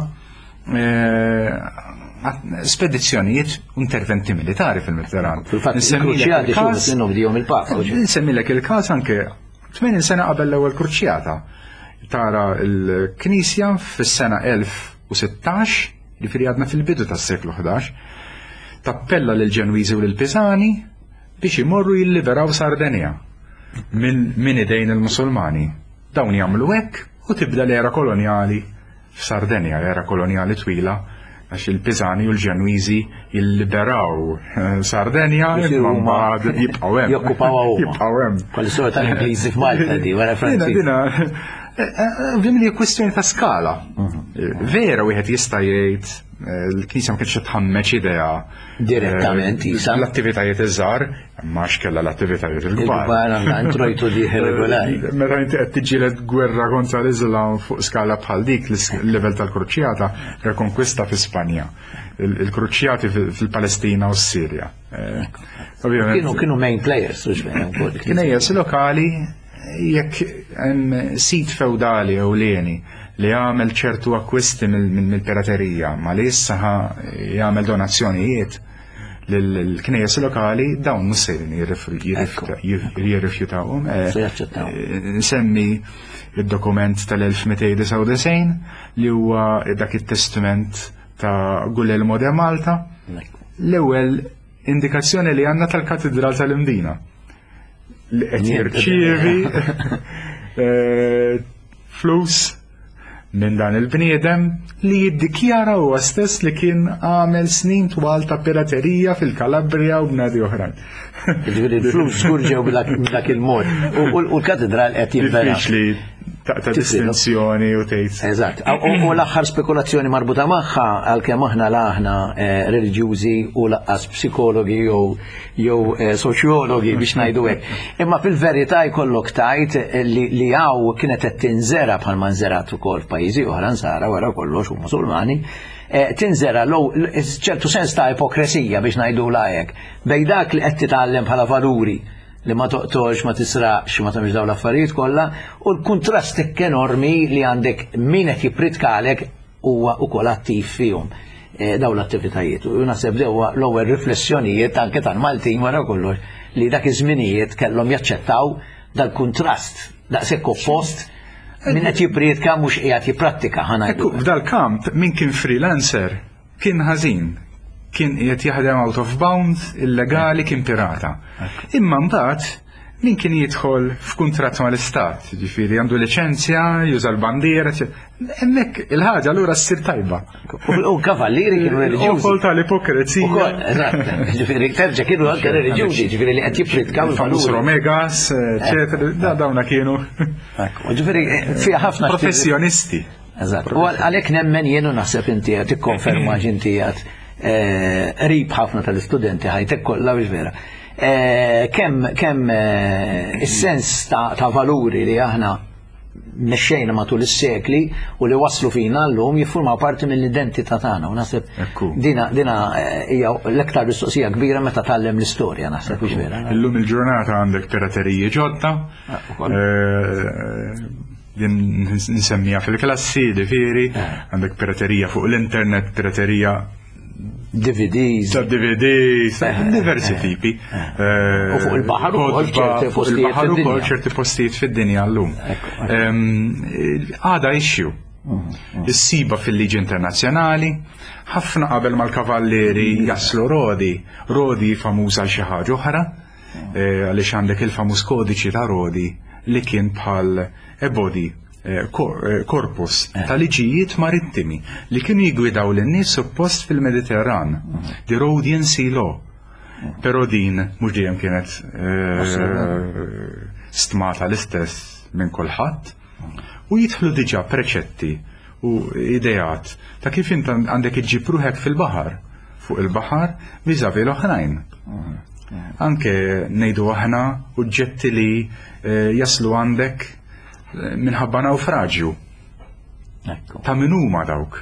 spedizzjonijiet u interventi militari fil-Mediterran. Nsemmilek il-każ anke tmenin sena qabel l-ewwel kruċjata. Tara l-Knisja fis-sena elf u sittax, ġifieri għadna fil-bidu tas-seklu ħdax, tappella lil Ġenwiżi u lil Pisani biex imorru jilliberaw Sardenja minn min idejn il-Musulmani. Dawn jagħmlu hekk u tibda l-era kolonjali f'Sardenja, l-era kolonjali twila Għax il-Pisani u l-Ġenwiżi jilliberaw eh, Sardenja, Jisiru imma huma- mbagħad jibqgħu hemm. Jokkupawha huma. Jibqgħu hemm. Bħal istorja tal-Ingliżi f'Malta di, wara Dina, Franċiż. dina, eh, eh, ovvjament hija kwestjoni ta' skala. Mhm. Vera wieħed jista' jgħid eh, l-Knisja ma kienx tħammeġ idea Direttament, eh, isa. L-attivitajiet iż-żgħar, ma x'kellha l-attivitajiet il-kbar. Il-kbar għandha introjtu dieħel regolari. Meta inti qed tiġġieled gwerra kontra l-Islam fuq skala bħal dik l-level tal-Kruċjata, rekonkwista fi Spanja, il- il-Kruċjati fil- fil-Palestina u s-Sirja. Eh, Ovvjament, Kienu kienu main players, mhux vera wkoll. Knejjes lokali jekk hemm sit feudali ewlieni li jagħmel ċertu akkwisti mill- mill- mill-piraterija, ma li issa ħa jagħmel donazzjonijiet lill-knejjes lokali dawn mhux sejrin jirrifju- jirrifjuta- jirrifjutawhom. Eh, Se jaċċettaw. eh, Nsemmi il-dokument tal-elf mitejn disgħa u disgħin li huwa dak it-testament ta' Guglielmo de Malta, l-ewwel indikazzjoni li għandna tal-Katedral tal-Imdina li qed jirċievi eh, flus minn dan il-bniedem li jiddikjara huwa stess li kien għamel snin twal ta' piraterija fil-Kalabria u bnadi oħrajn. Ġifieri l-flus żgur ġew b'dak il-mod. U u l-katedral qed jinbena. Diffiċli ta' distinzjoni u tgħid. Eżatt. U u l-aħħar spekulazzjoni marbuta magħha, għalkemm aħna la aħna eh, reliġjużi u lanqas psikologi jew jew eh, soċjologi biex ngħidu hekk. Imma fil-verità jkollok tajt li li hawn kienet qed tinżera bħalma nżerat ukoll f'pajjiżi oħra nsara wara kollox u Musulmani, eh, tinżera low ċertu sens ta' ipokresija biex ngħidu hekk. Bejn dak li qed titgħallem bħala valuri li ma toqtolx, ma tisraqx, ma tagħmilx dawn l-affarijiet kollha, u l-kuntrast enormi li għandek min qed jippritkalek huwa ukoll attiv fihom eh, dawn l-attivitajiet. U naħseb dewa l-ewwel riflessjonijiet anke tal-Maltin wara kollox li dak iż-żminijiet kellhom jaċċettaw dal-kuntrast daqshekk oppost min qed jippritka mhux qiegħed jipprattika, ħa ngħidu. Ekku, f'dal-kamp min kien freelancer kien ħażin. Kien qiegħed jaħdem out of bound, illegali, kien pirata. Imma mbagħad min kien jidħol f'kuntratt mal-istat, ġifieri għandu liċenzja, juża l-bandiera, hemmhekk il-ħaġa allura ssir tajba. U kavallieri kienu reliġjużi. Ukoll tal-ipokrazija. Ukoll, eżatt, ġifieri terġa' kienu anke reliġjużi, ġifieri li qed jippritkaw Il-famuż il-valuri. Romegas, eccetera, da dawna kienu Ekku, ġifieri fiha ħafna professjonisti. Eżatt. U għalhekk nemmen jien u naħseb inti qed tikkonferma x'inti qed qrib ħafna tal-istudenti ħajtek kollha biex vera. Eh, Kemm kemm eh, is-sens ta' ta' valuri li aħna mexxejna matul is-sekli u li waslu fina llum jiffurmaw parti mill-identità tagħna u naħseb Ekku. dina dina eh, hija l-iktar mistoqsija kbira meta tgħallem l-istorja, naħseb, biex vera. Illum il-ġurnata għandek pirateriji ġodda. Ah, ukoll. Eh, Din nsemmija fil-klassi, ġifieri, għandek piraterija fuq l-internet, piraterija D V Ds. ta' D V Ds, diversi tipi. U fuq il-baħar ukoll Kotba, ċerti fuq postijiet il-baħar ukoll fid-dinja. ċerti postijiet fid-dinja llum. Ekku, Ehm, Għada issue. Issiba fil-liġi internazzjonali, ħafna qabel mal-kavallieri jaslu Rodi, Rodi famuża għal xi ħaġa oħra, eh, għaliex għandek il-famuż kodiċi ta' Rodi li kien bħal a body eh, kor- eh, korpus ta' liġijiet marittimi li kienu jigwidaw lin-nies suppost fil-Mediterran, the Rhodian Sea Law. Però din mhux dejjem kienet eh, stmata l-istess minn kulħadd u jidħlu diġà preċetti u ideat ta' kif int għandek iġġib ruħek fil-baħar, fuq il-baħar vis-à-vis l-oħrajn. Anke ngħidu aħna oġġetti li eh, jaslu għandek eh, minħabba naufraġju. Ekku. Ta' min huma dawk?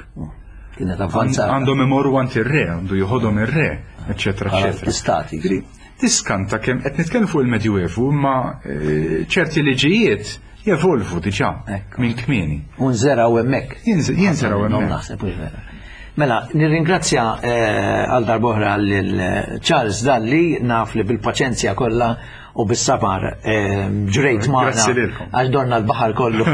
Kienet avvanzata. Għandhom imorru għand ir-re, għandu joħodhom ir-re, eċetera, Bħala eċetera. Stati. Ġifieri, tiskanta kemm qed nitkellem fuq il-Medjuevu, imma eh, ċerti liġijiet jevolvu diġà Ekku. minn kmieni. U nżergħu hemmhekk. Jinż- Jinżergħu Non hemmhekk. naħseb, mhux vera. Mela, nirringrazzja eh, għal darb'oħra lil Charles Dalli, naf li bil-paċenzja kollha u bis-safar ġrejt magħna għax dorna l-baħar kollu,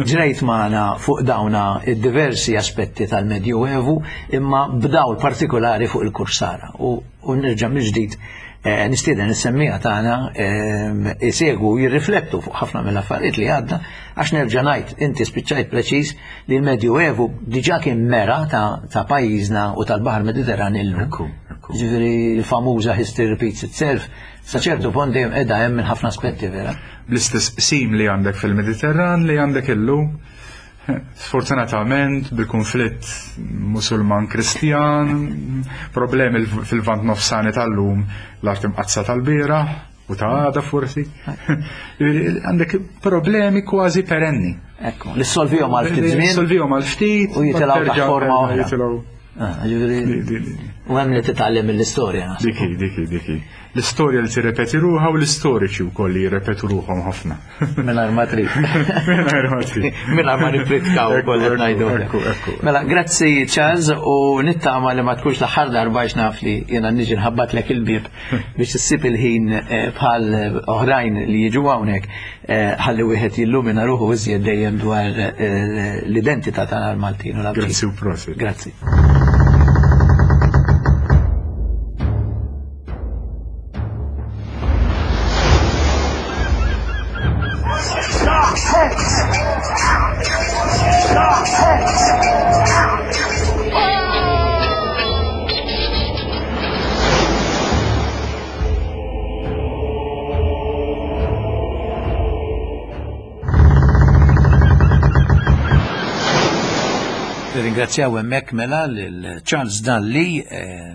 ġrejt magħna fuq dawna id-diversi aspetti tal-Medjuevu imma b'dawl partikolari fuq il-Kursara. U nerġa' mill-ġdid nistieden is-semmiegħa tagħna isegwu jirriflettu fuq ħafna mill-affarijiet li għadda, għax nerġa' ngħid inti spiċċajt preċiż li l-Medjuevu diġà kien mera ta' pajjiżna u tal-Baħar Mediterran illum. Ġifieri l-famuża history repeats itself, sa ċertu punt dejjem qiegħda hemm minn ħafna aspetti vera. Bl-istess qsim li għandek fil-Mediterran li għandek illum, sfortunatament bil-konflitt Musulman-Kristjan, problemi fil-Lvant Nofsani tal-lum, l-art imqaddsa tal-bieraħ u ta' għada forsi. Għandek problemi kważi perenni. Ekku, li solvihom għal ftit żmien. Solvihom għal ftit u jitilgħu taħt forma oħra. U hemm li titgħallem mill-istorja. Diki, diki, diki. L-istorja li tirrepeti ruħha u l-istoriċi wkoll li jirrepetu ruħhom ħafna. Mingħajr ma trid. Mingħajr ma trid. Mingħajr ma nippritkaw ukoll qed ngħidu. Mela, grazzi Charles u nittama li ma tkunx l-aħħar darba għax naf li jiena niġi nħabbatlek il-bieb biex issib il-ħin bħal oħrajn li jiġu hawnhekk ħalli wieħed jillumina ruħu iżjed dejjem dwar l-identità tagħna l-Maltin u l-Għawdxin. Grazzi u prosit. Grazzi. Ringrazzjaw hemmhekk mela lil Charles Dalli,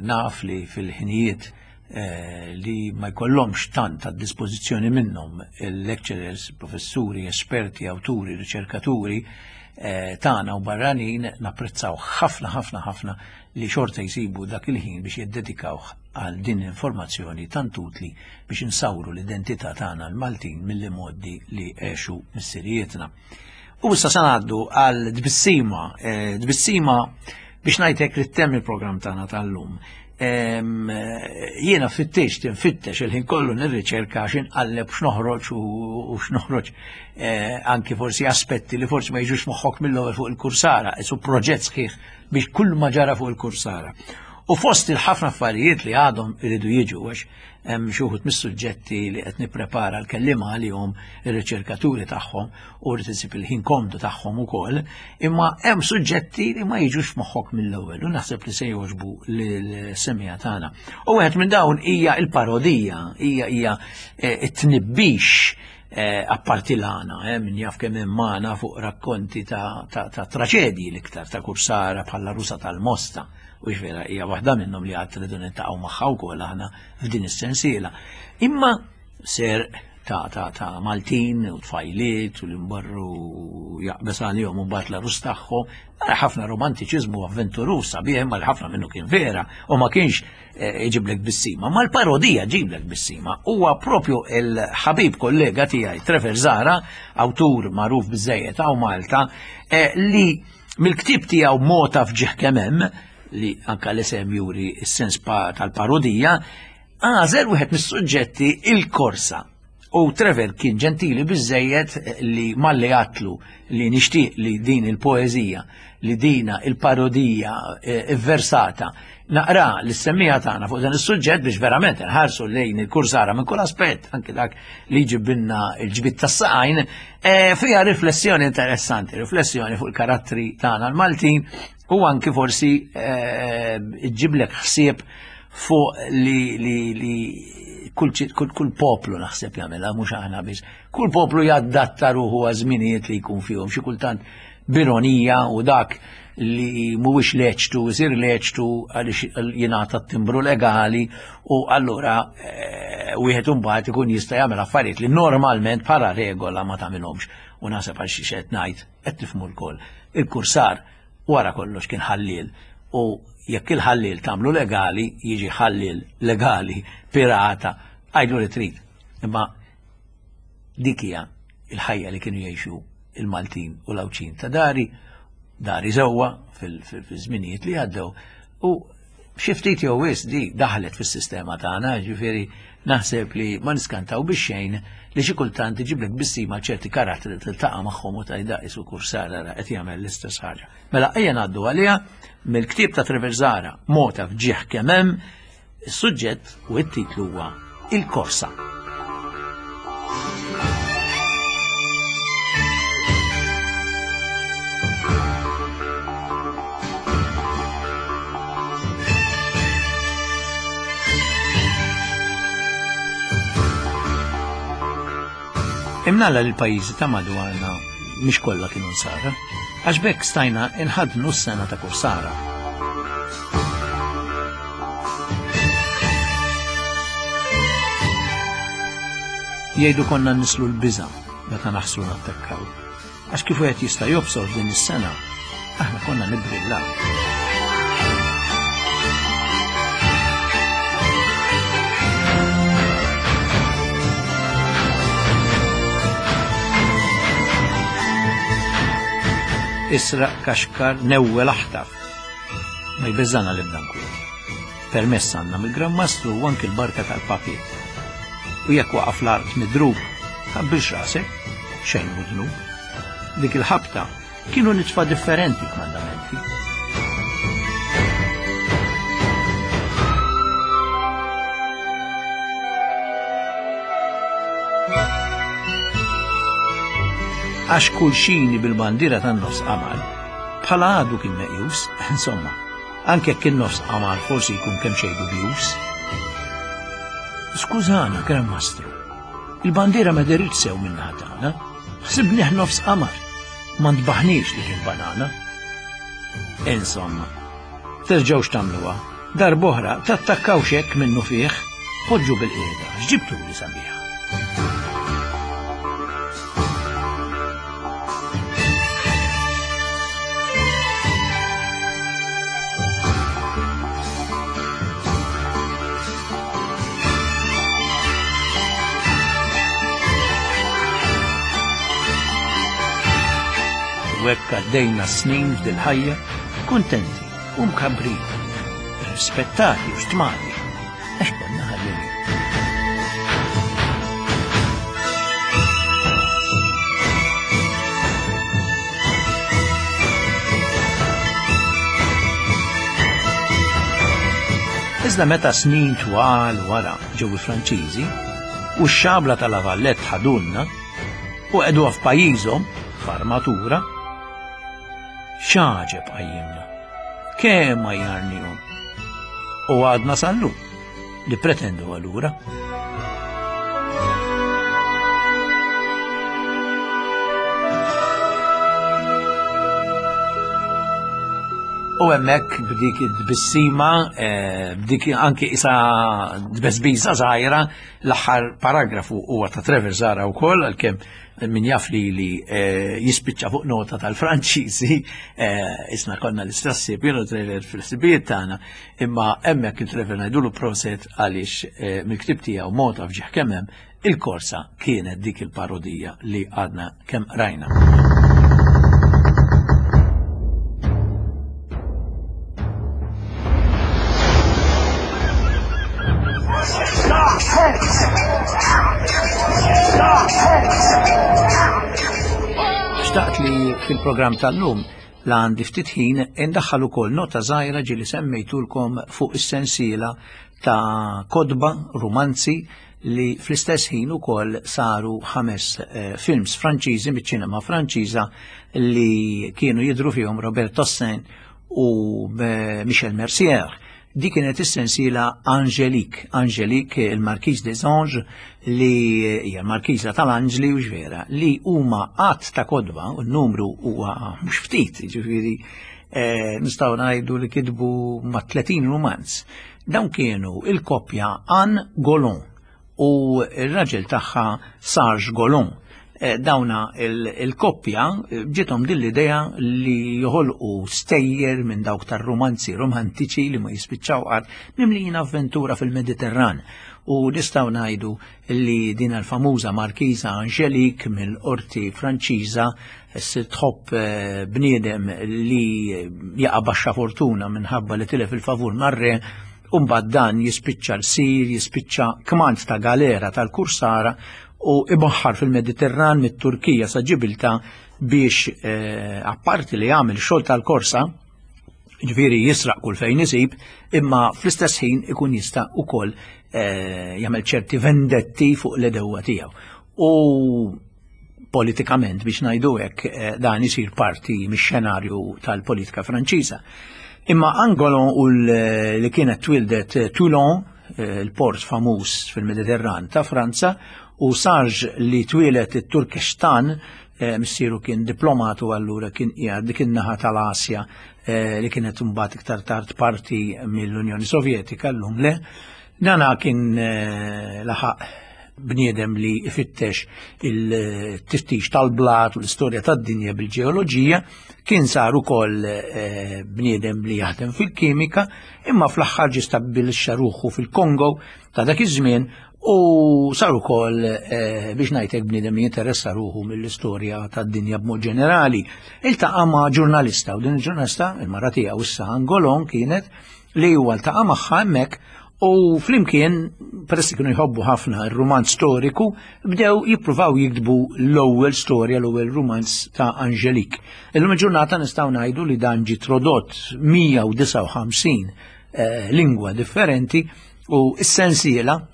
naf li fil-ħinijiet li ma jkollhomx tant għad dispożizzjoni minnhom il-lecturers, professuri, esperti, awturi, riċerkaturi tagħna u barranin, napprezzaw ħafna ħafna ħafna li xorta jsibu dak il-ħin biex jiddedikawh għal din l-informazzjoni tant utli biex insawru l-identità tagħna l-Maltin mill-modi li għexu missirijietna. U issa se ngħaddu għal tbissima, tbissima biex ngħidlek li ttemm il-programm tagħna tal-lum. Jiena fittex tinfittex il-ħin kollu nirriċerka għax inqalleb x'noħroġ u x'noħroġ anki forsi aspetti li forsi ma jiġux moħħok mill-ewwel fuq il-Kursara, isu proġett sħiħ biex kull ma ġara fuq il-Kursara. U fost il-ħafna affarijiet li għadhom iridu jiġu għax hemm xi wħud mis-suġġetti li qed nipprepara l-kelliema għalihom ir-riċerkaturi tagħhom u rrid isib il-ħin komdu tagħhom ukoll, imma hemm suġġetti li ma jiġux f'moħħok mill-ewwel u naħseb li se jogħġbu lill-semija tagħna. U wieħed minn dawn hija l-parodija, hija hija t-tnibbix apparti l-għana, min jaf kemm hemm magħna fuq rakkonti ta' traċedji l-iktar ta' Kursara bħala Rusa tal-Mosta. U vera hija waħda minnhom li għad tridu niltaqgħu magħha wkoll aħna f'din is-sensiela. Imma ser ta' ta' ta' Maltin u tfajliet u li mbarru jaqbes għalihom u mbagħad l-arus tagħhom, nara ħafna romantiċiżmu avventuruż sabiħ, imma ħafna minnu kien vera u ma kienx iġiblek bissima, ma l-parodija ġiblek bissima. Huwa propju il-ħabib kollega tiegħi Trevor Zahra, awtur magħruf biżejjed hawn Malta, li mill-ktieb tiegħu Mota f'ġieħ kemm hemm, li anka l-isem juri s-sens tal-parodija, għażel wieħed mis-suġġetti il-korsa. U Trevor kien ġentili biżejjed li malli għatlu li nixtieq li din il-poeżija, li dina il-parodija versata, naqra l-semmija tagħna fuq dan is-suġġett biex verament nħarsu lejn il-Kursara minn kull aspett, anke dak li ġibinna l-ġbid tas-saqajn, fiha riflessjoni interessanti, riflessjoni fuq il-karattri tagħna l-Maltin u anki forsi ġiblek ħsieb fuq li li li kull kull poplu naħseb jagħmilha, mhux aħna biss. Kull poplu jadatta ruħu għaż-żminijiet li jkun fihom, xi kultant b'ironija u dak li mhuwiex leċtu isir leċtu għaliex jingħata t-timbru legali u allura wieħed imbagħad ikun jista' jagħmel affarijiet li normalment bħala regola ma tagħmilhomx. U naħseb għal xi qed ngħid qed tifhmu lkoll. Il-Kursar wara kollox kien ħalliel u jekk il-ħalliel tagħmlu legali jiġi ħalliel legali pirata, għajdu li trid. Imma dik hija il-ħajja li kienu jgħixu il-Maltin u l-Għawdxin ta' dari, dari żewwa fil-żminijiet li għaddew u Xi ftit jew wisq di daħlet fis-sistema tagħna, ġifieri naħseb li ma niskantaw bix xejn li xi kultant iġiblek bissima ċerti karattri li tiltaqa' magħhom u tgħidha isu kursar ara qed jagħmel l-istess ħaġa. Mela ejja ngħaddu għaliha mill-ktieb ta' Trevor Zahra, Mota f'ġieħ kemm hemm, is-suġġett u t-titlu huwa Il-Korsa. Imnalla li l-pajjiżi ta' madwarna mhix kollha kienu nsara, għax b'hekk stajna inħadnu s-sena ta' kursara. Jgħidu konna nislu l-biża' meta naħslu nattakkaw, għax kif wieħed jista' jobsor din is-sena, aħna konna nibbrillaw. Israq, kaxkar, newwel aħtaf. Ma jbeżżana l-ebda nkwiet. Permess għandna mill-Gran Mastru u anki l-barka tal-papiet. U jekk waqaf l-art midrub, tqabbilx rasek, xejn mhu dnub. Dik il-ħabta kienu nitfa' differenti kmandamenti. Għax kull xini bil-bandira tan-nofs qamar, bħala għadu kien meqjus, insomma, anke jekk in-nofs qamar forsi jkun kemm xejn dubjus. Skużana, Gran Mastru, il-bandiera ma deritx sew minnaħa tagħna, ħsibnieh nofs qamar, ma ntbaħniex li kien banana. Insomma, terġgħux tagħmluha, darb'oħra tattakkawx hekk minnu fih, poġġu bil-qiegħda, x'ġibtu li sabiħa. U hekk għaddejna snin f'dil-ħajja kuntenti u mkabbrin, rispettati u stmati, għax konna ħallelin. Iżda meta snin twal wara ġew il-Franċiżi u x-xabla tal-Avallet ħadulna u qegħduha f'pajjiżhom f'armatura, x'għaġeb qajjimna, kemm għajjarnihom. U għadna sal-lum li pretendu għalura. U hemmhekk b'dik id-tbissima, eh, b'dik anki isa tbesbisa żgħira, l-aħħar paragrafu huwa ta' Trevor Zahra wkoll, għalkemm min jaf li li, eh, jispiċċa fuq nota tal-Franċiżi, eh, isna konna l-istess ħsieb, jiena Trevor fil-ħsibijiet tagħna, imma hemmhekk il-Trevor ngħidulu proset għaliex, eh, mill-ktieb tiegħu Mota f'ġieħ kemm hemm, il-korsa kienet dik il-parodija li għadna kemm rajna. Xtaqt li fil-programm tal-lum la għandi ftit ħin indaħħal ukoll nota żgħira ġieli semmejtulkom fuq is-sensiela ta' kotba romanzi li fl-istess ħin ukoll saru ħames, eh, films Franċiżi miċ-ċinema Franċiża li kienu jidhru fihom Robert Hossein u, eh, Michel Mercier. Dik kienet is-sensiela Angélique, Angélique il-Marquise des Anges li hija l-Markiża tal-Anġli u ġvera, li huma qatt ta' kotba u n-numru huwa mhux ftit, jiġifieri, eh, nistgħu ngħidu li kitbu ma' tletin romanz. Dawn kienu il-koppja Anne Golon u r-raġel tagħha Serge Golon. Eh, dawna il-, il-koppja ġiethom din l-idea li joħolqu stejjer minn dawk tar-romanzi romantiċi li ma jispiċċaw qatt mimlijin avventura fil-Mediterran. U nistgħu ngħidu li din il-famuża Markiża Angelique mill-qorti Franċiża tħobb bniedem li jaqa' baxxa fortuna minħabba li tilef il-favur mar-re, u mbagħad dan jispiċċa l-sir, jispiċċa kmand ta' galera tal-Kursara u ibaħħar fil-Mediterran mit-Turkija sa Ġibilta biex eh, apparti li jagħmel xogħol tal-korsa, ġifieri jisraq kull fejn isib, imma fl-istess ħin ikun jista' ukoll eh, jagħmel ċerti vendetti fuq l-edewwa tiegħu. U politikament biex ngħidu hekk eh, dan isir parti mix-xenarju tal-politika Franċiża. Imma Angolon u li kienet twildet Toulon, eh, il-port famuż fil-Mediterran ta' Franza, u Sarge li twilet it-Turkestan, eh, missieru kien diplomatu allura kien qiegħed dik in-naħa tal-Asja eh, li kienet imbagħad iktar tard parti mill-Unjoni Sovjetika llum le. Dana kien eh, laħaq bniedem li ifittex il-tiftix tal-blat u l-istorja tad-dinja bil-ġeoloġija, kien sar ukoll eh, bniedem li jaħdem fil-kimika, imma fl-aħħar ġie stabbilixxa ruħu fil-Kongo ta' dak iż-żmien u sar ukoll eh, biex ngħidlek bniedem li jinteressa ruħu mill-istorja tad-dinja b'mod ġenerali. Iltaqa' ma' ġurnalista u din il-ġurnalista, il-mara tiegħu issa Angolon kienet li huwa ltaqa' magħha hemmhekk u flimkien, peress li kienu jħobbu ħafna ir-rumanz storiku, bdew jippruvaw jiktbu l-ewwel storja, l-ewwel rumanz ta' Angelique. Illum il-ġurnata nistgħu ngħidu li dan ġie trodott mija u disgħa u ħamsin eh, lingwa differenti u s-sensiela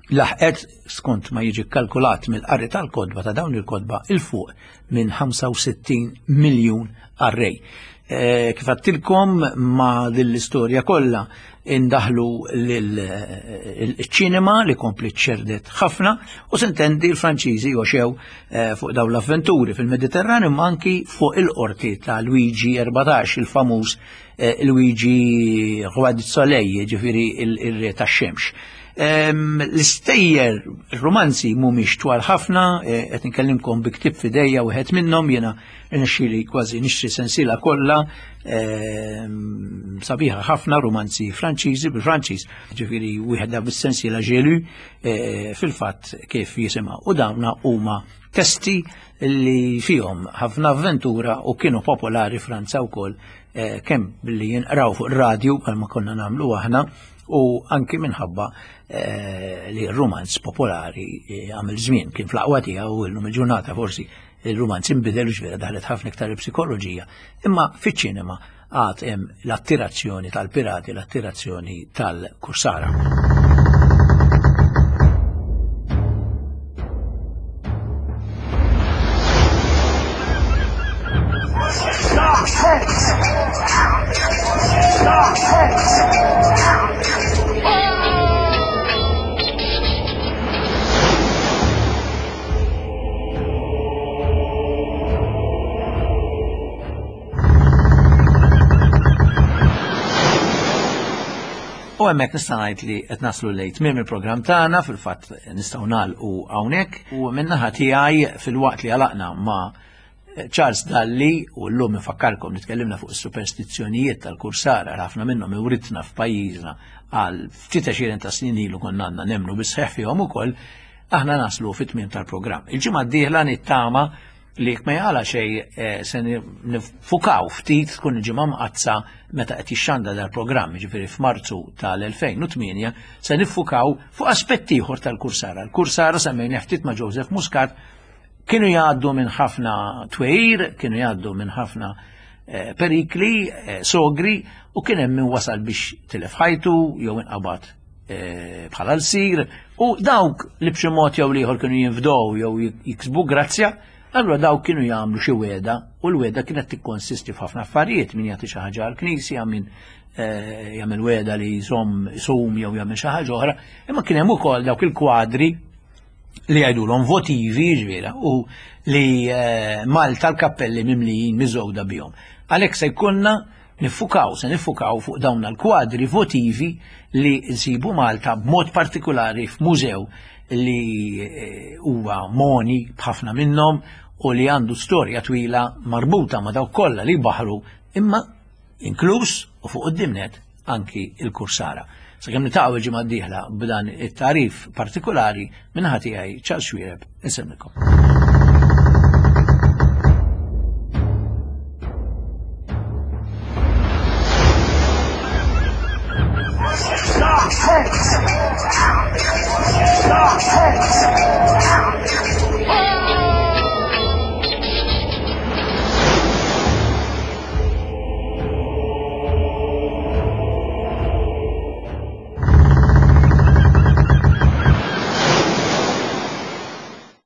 laħqet, skont ma jiġi kalkulat mill-qari tal-kodba ta' dawn il-kodba, il fuq minn ħamsa u sittin miljun qarrej. Eh, kif għattilkom ma' din l-istorja kollha indaħlu l-ċinema li kompli ċerdet ħafna u sintendi l-Franċiżi joxew, eh, fuq dawn l-avventuri fil-Mediterran imma anki fuq il-qorti ta' Luigi erbatax, il-famuż, eh, Luigi Roi du Soleil, ġifieri il-re tax-xemx. Em, l-istejjer romanzi mhumiex twal ħafna, eh, qed inkellimkom bi ktieb f'idejja wieħed minnhom, jiena rnexxieli kważi nixtri sensiela kollha, em, sabiħa ħafna romanzi Franċiżi bil-Franċiż, ġifieri wieħed da bis-sensiela Gelu, eh, fil-fatt kif jisimha. U dawna huma testi li fihom ħafna avventura u kienu popolari Franza wkoll, eh, kemm billi jinqraw fuq ir-radju bħalma konna nagħmlu aħna, u anki minħabba, eh, li r-romanz popolari, eh, għamil żmien kien fl-aqwa tiegħu u llum il-ġurnata forsi il-romanz inbidel u ġvera daħlet ħafna iktar il-psikoloġija, imma fiċ-ċinema għad hemm l-attirazzjoni tal-pirati, l-attirazzjoni tal-kursara. U hemmhekk nista' ngħid li qed naslu lejn tmiem il-programm tagħna, fil-fatt nistgħu nagħlqu hawnhekk, u min-naħa tiegħi fil-waqt li għalaqna ma' Charles Dalli, u llum infakkarkom li tkellimna fuq is-superstizzjonijiet tal-kursara, ħafna minnhom iwritna f'pajjiżna għal ftit għexieren ta' snin ilu konna għandna nemmnu bis-sħiħ fihom ukoll, aħna naslu fit-tmiem tal-programm. Il-ġimgħa d-dieħla nittama li jekk ma jaqala xejn, eh, se nifukaw ftit tkun il-ġimgħa mqaddsa meta qed jixxanda dal-programm, jiġifieri f'Marzu tal-elfejn u tmienja, se nifukaw fuq aspett ieħor tal-kursara. Il-kursara semmejna ftit ma' Joseph Muscat, kienu jgħaddu minn ħafna twejr, kienu jgħaddu minn ħafna, eh, perikli, eh, sogri, u kien hemm min wasal biex tilef ħajtu jew inqabad, eh, bħala l-sir, u dawk li b'xi mod jew ieħor kienu jinfdow jew jiksbu grazzja, allura dawk kienu jagħmlu xi weda, u l-weda kienet tikkonsisti f'ħafna affarijiet, min jagħti xi ħaġa għall-knisja, min, eh, jagħmel weda li jżomm isum jew jagħmel xi ħaġa oħra, imma kien hemm ukoll dawk il-kwadri li jgħidulhom votivi, ġifieri, u li, eh, Malta l-kappelli mimlijin miżgħuda bihom. Għalhekk se jkollna nifukaw, se nifukaw fuq dawn l-kwadri votivi li nsibu Malta b'mod partikolari f'mużew li, eh, huwa moni b'ħafna minnhom u li għandu storja twila marbuta ma' dawk kollha li baħru, imma inkluż u fuq quddiem net anki il-kursara. Sakemm niltaqgħu il-ġimgħa d-dieħla b'dan it-tarif partikolari minn ħati għaj Charles Xuereb, insellmilkom.